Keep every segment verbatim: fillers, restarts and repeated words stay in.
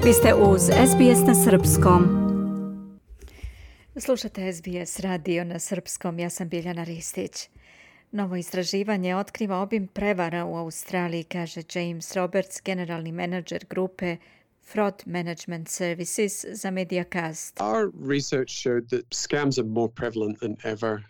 Vi ste uz S B S na srpskom. Slušate S B S radio na srpskom, ja sam Biljana Ristić. Novo istraživanje otkriva obim prevara u Australiji, kaže James Roberts, generalni menadžer grupe Fraud Management Services za Mediacast. Our research showed that scams are more prevalent than ever.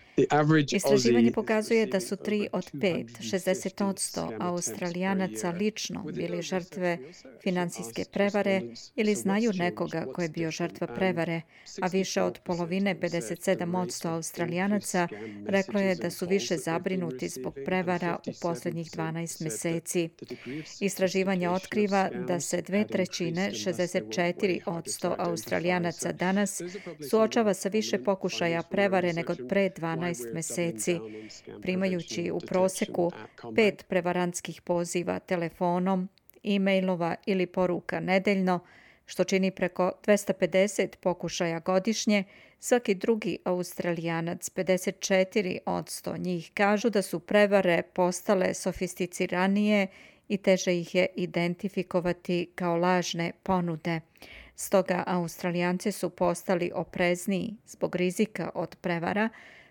Istraživanje pokazuje da su tri od pet, šezdeset posto Australijanaca lično bili žrtve finansijske prevare ili znaju nekoga ko je bio žrtva prevare, a više od polovine, pedeset sedam posto Australijanaca, reklo je da su više zabrinuti zbog prevara u posljednjih dvanaest mjeseci. Istraživanje otkriva da se dve trećine, šezdeset četiri posto Australijanaca danas suočava sa više pokušaja prevare nego pre dvanaest mjeseci, primajući u prosjeku pet prevarantskih poziva telefonom, e-mailova ili poruka nedeljno, što čini preko dvesta pedeset pokušaja godišnje. Svaki drugi Australijanac, pedeset četiri posto njih, kažu da su prevare postale sofisticiranije i teže ih je identifikovati kao lažne ponude. Stoga Australijanci su postali oprezniji zbog rizika od prevara,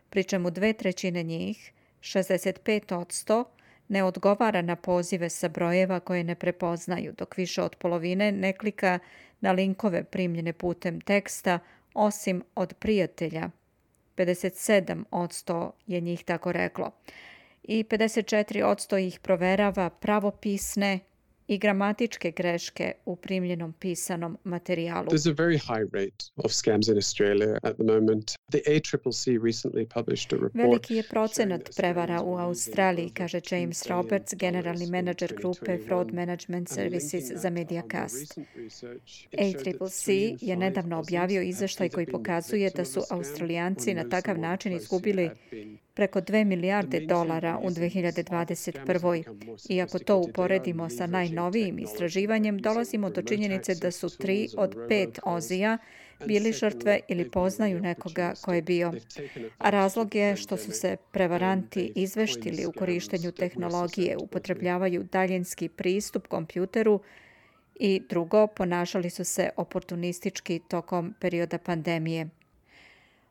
pri čemu dve trećine njih, šezdeset pet posto, ne odgovara na pozive sa brojeva koje ne prepoznaju, dok više od polovine ne klika na linkove primljene putem teksta, osim od prijatelja. pedeset sedam posto je njih tako reklo. I pedeset četiri posto ih proverava pravopisne i gramatičke greške u primljenom pisanom materijalu. There's a very high rate of scams in Australia at the moment. The A C C C recently published a report. Veliki je procenat prevara u Australiji, kaže James Roberts, generalni menadžer grupe Fraud Management Services za Mediacast. A C C C je nedavno objavio izveštaj koji pokazuje da su Australijanci na takav način izgubili preko dve milijarde dolara u dve hiljade dvadeset prvoj. I ako to uporedimo sa najnovijim istraživanjem, dolazimo do činjenice da su tri od pet Ozija bili žrtve ili poznaju nekoga ko je bio. A razlog je što su se prevaranti izveštili u korištenju tehnologije, upotrebljavaju daljinski pristup kompjuteru i drugo, ponašali su se oportunistički tokom perioda pandemije.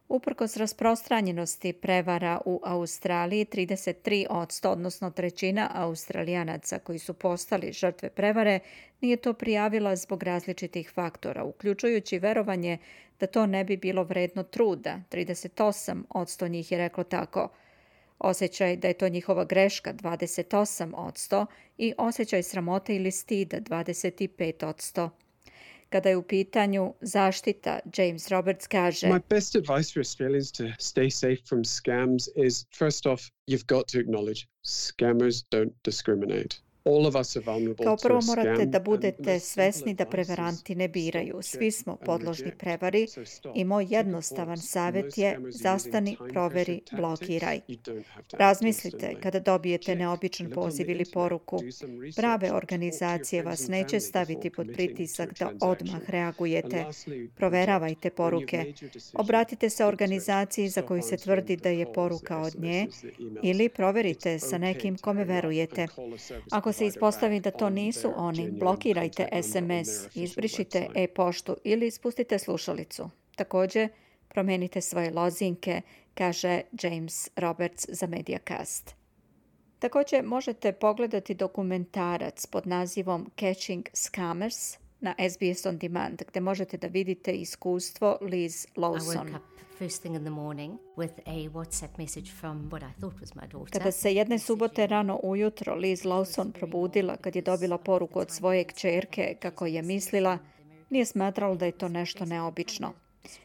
Uprkos rasprostranjenosti prevara u Australiji, trideset tri posto, odnosno trećina Australijanaca koji su postali žrtve prevare, nije to prijavila zbog različitih faktora, uključujući verovanje da to ne bi bilo vredno truda. trideset osam posto njih je reklo tako. Osjećaj da je to njihova greška, dvadeset osam posto, i osjećaj sramote ili stida, dvadeset pet posto. Kada je u pitanju zaštita, James Roberts kaže: My best advice for Australians to stay safe from scams is, first off, you've got to acknowledge scammers don't discriminate. All of us are vulnerable Kao to prvo a scam. morate da budete svesni da prevaranti ne biraju. Svi smo podložni prevari i moj jednostavan savjet je: zastani, proveri, blokiraj. Razmislite kada dobijete neobičan poziv ili poruku. Prave organizacije vas neće staviti pod pritisak da odmah reagujete. Proveravajte poruke. Obratite se organizaciji za koju se tvrdi da je poruka od nje ili proverite sa nekim kome verujete. Ako se ispostavi da to nisu oni, blokirajte es em es, izbrišite e-poštu ili spustite slušalicu. Također, promijenite svoje lozinke, kaže James Roberts za Mediacast. Također možete pogledati dokumentarac pod nazivom Catching Scammers na S B S On Demand, gdje možete da vidite iskustvo Liz Lawson. First thing in the morning with a WhatsApp message from what I thought was my daughter. Kada se jedne subote rano ujutro Liz Lawson probudila kad je dobila poruku od svoje kćerke kako je mislila, nije smatrala da je to nešto neobično.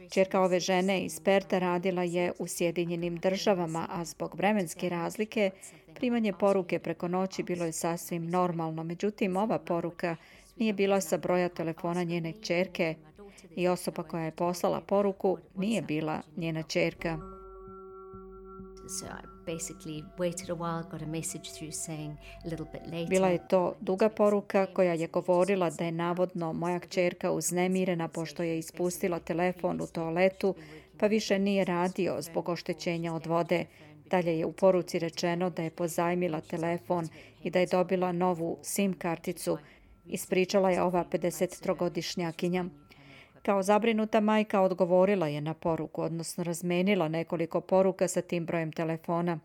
Kćerka ove žene iz Perta radila je u Sjedinjenim državama, a zbog vremenske razlike primanje poruke preko noći bilo je sasvim normalno. Međutim, ova poruka nije bila sa broja telefona njene kćerke i osoba koja je poslala poruku nije bila njena kćerka. So I basically waited a while, got a message through saying a little bit later. Bila je to duga poruka koja je govorila da je navodno moja kćerka uznemirena pošto je ispustila telefon u toaletu, pa više nije radio zbog oštećenja od vode. Dalje je u poruci rečeno da je pozajmila telefon i da je dobila novu SIM karticu ispričala je ova pedesettrogodišnjakinja. Kao zabrinuta majka odgovorila je na poruku, odnosno razmenila nekoliko poruka sa tim brojem telefona.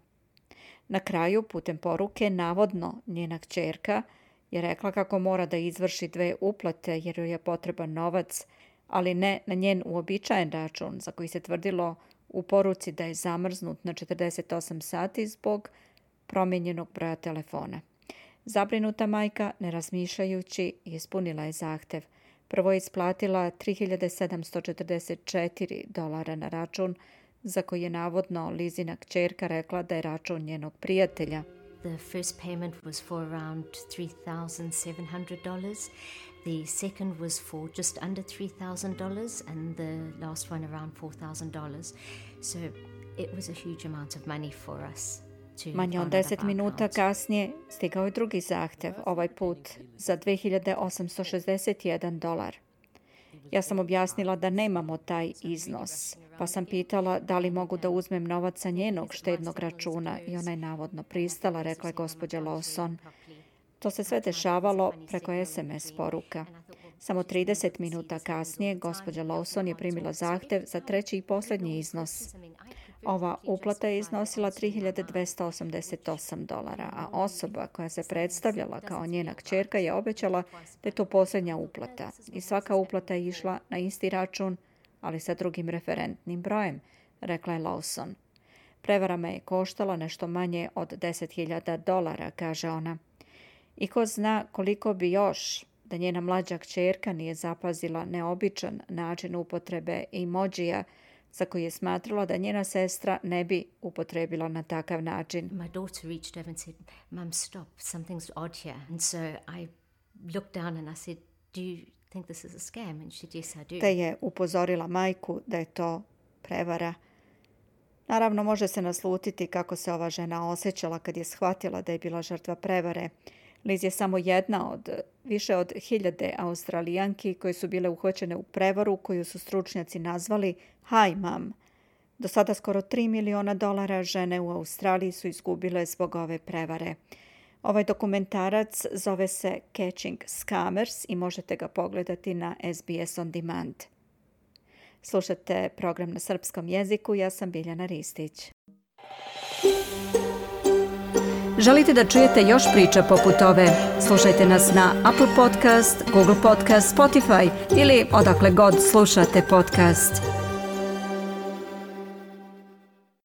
Na kraju, putem poruke, navodno njena kćerka je rekla kako mora da izvrši dve uplate jer joj je potreban novac, ali ne na njen uobičajen račun za koji se tvrdilo u poruci da je zamrznut na četrdeset osam sati zbog promijenjenog broja telefona. Zabrinuta majka, ne razmišljajući, ispunila je zahtev. Prvo je isplatila tri hiljade sedamsto četrdeset četiri dolara na račun za koji je navodno Lizina kćerka rekla da je račun njenog prijatelja. The first payment was for around three thousand seven hundred dollars. The second was for just under three thousand dollars and the last one around four thousand dollars. So it was a huge amount of money for us. Manje od deset minuta kasnije stigao je drugi zahtev, ovaj put za dve hiljade osamsto šezdeset jedan dolar. Ja sam objasnila da nemamo taj iznos, pa sam pitala da li mogu da uzmem novac sa njenog štednog računa i ona je navodno pristala, rekla je gospođa Lawson. To se sve dešavalo preko es em es poruka. Samo trideset minuta kasnije gospođa Lawson je primila zahtev za treći i posljednji iznos. Ova uplata je iznosila tri hiljade dvesta osamdeset osam dolara, a osoba koja se predstavljala kao njena kćerka je obećala da je to posljednja uplata i svaka uplata je išla na isti račun, ali sa drugim referentnim brojem, rekla je Lawson. Prevara me je koštala nešto manje od deset hiljada dolara, kaže ona. I ko zna koliko bi još da njena mlađa kćerka nije zapazila neobičan način upotrebe emojija za koji je smatrala da njena sestra ne bi upotrebila na takav način. My daughter reached over and said, "Mum, stop, something's odd here." And so I looked down and I said, "Do you think this is a scam?" And she said, "Yes, I do." Te je upozorila majku da je to prevara. Naravno, može se naslutiti kako se ova žena osjećala kad je shvatila da je bila žrtva prevare. Liz je samo jedna od više od hiljade Australijanki koje su bile uhvaćene u prevaru koju su stručnjaci nazvali Hi Mom. Do sada skoro tri miliona dolara žene u Australiji su izgubile zbog ove prevare. Ovaj dokumentarac zove se Catching Scammers i možete ga pogledati na es be es On Demand. Slušate program na srpskom jeziku, ja sam Biljana Ristić. Želite da čujete još priča poput ove? Slušajte nas na Apple Podcast, Google Podcast, Spotify ili odakle god slušate podcast.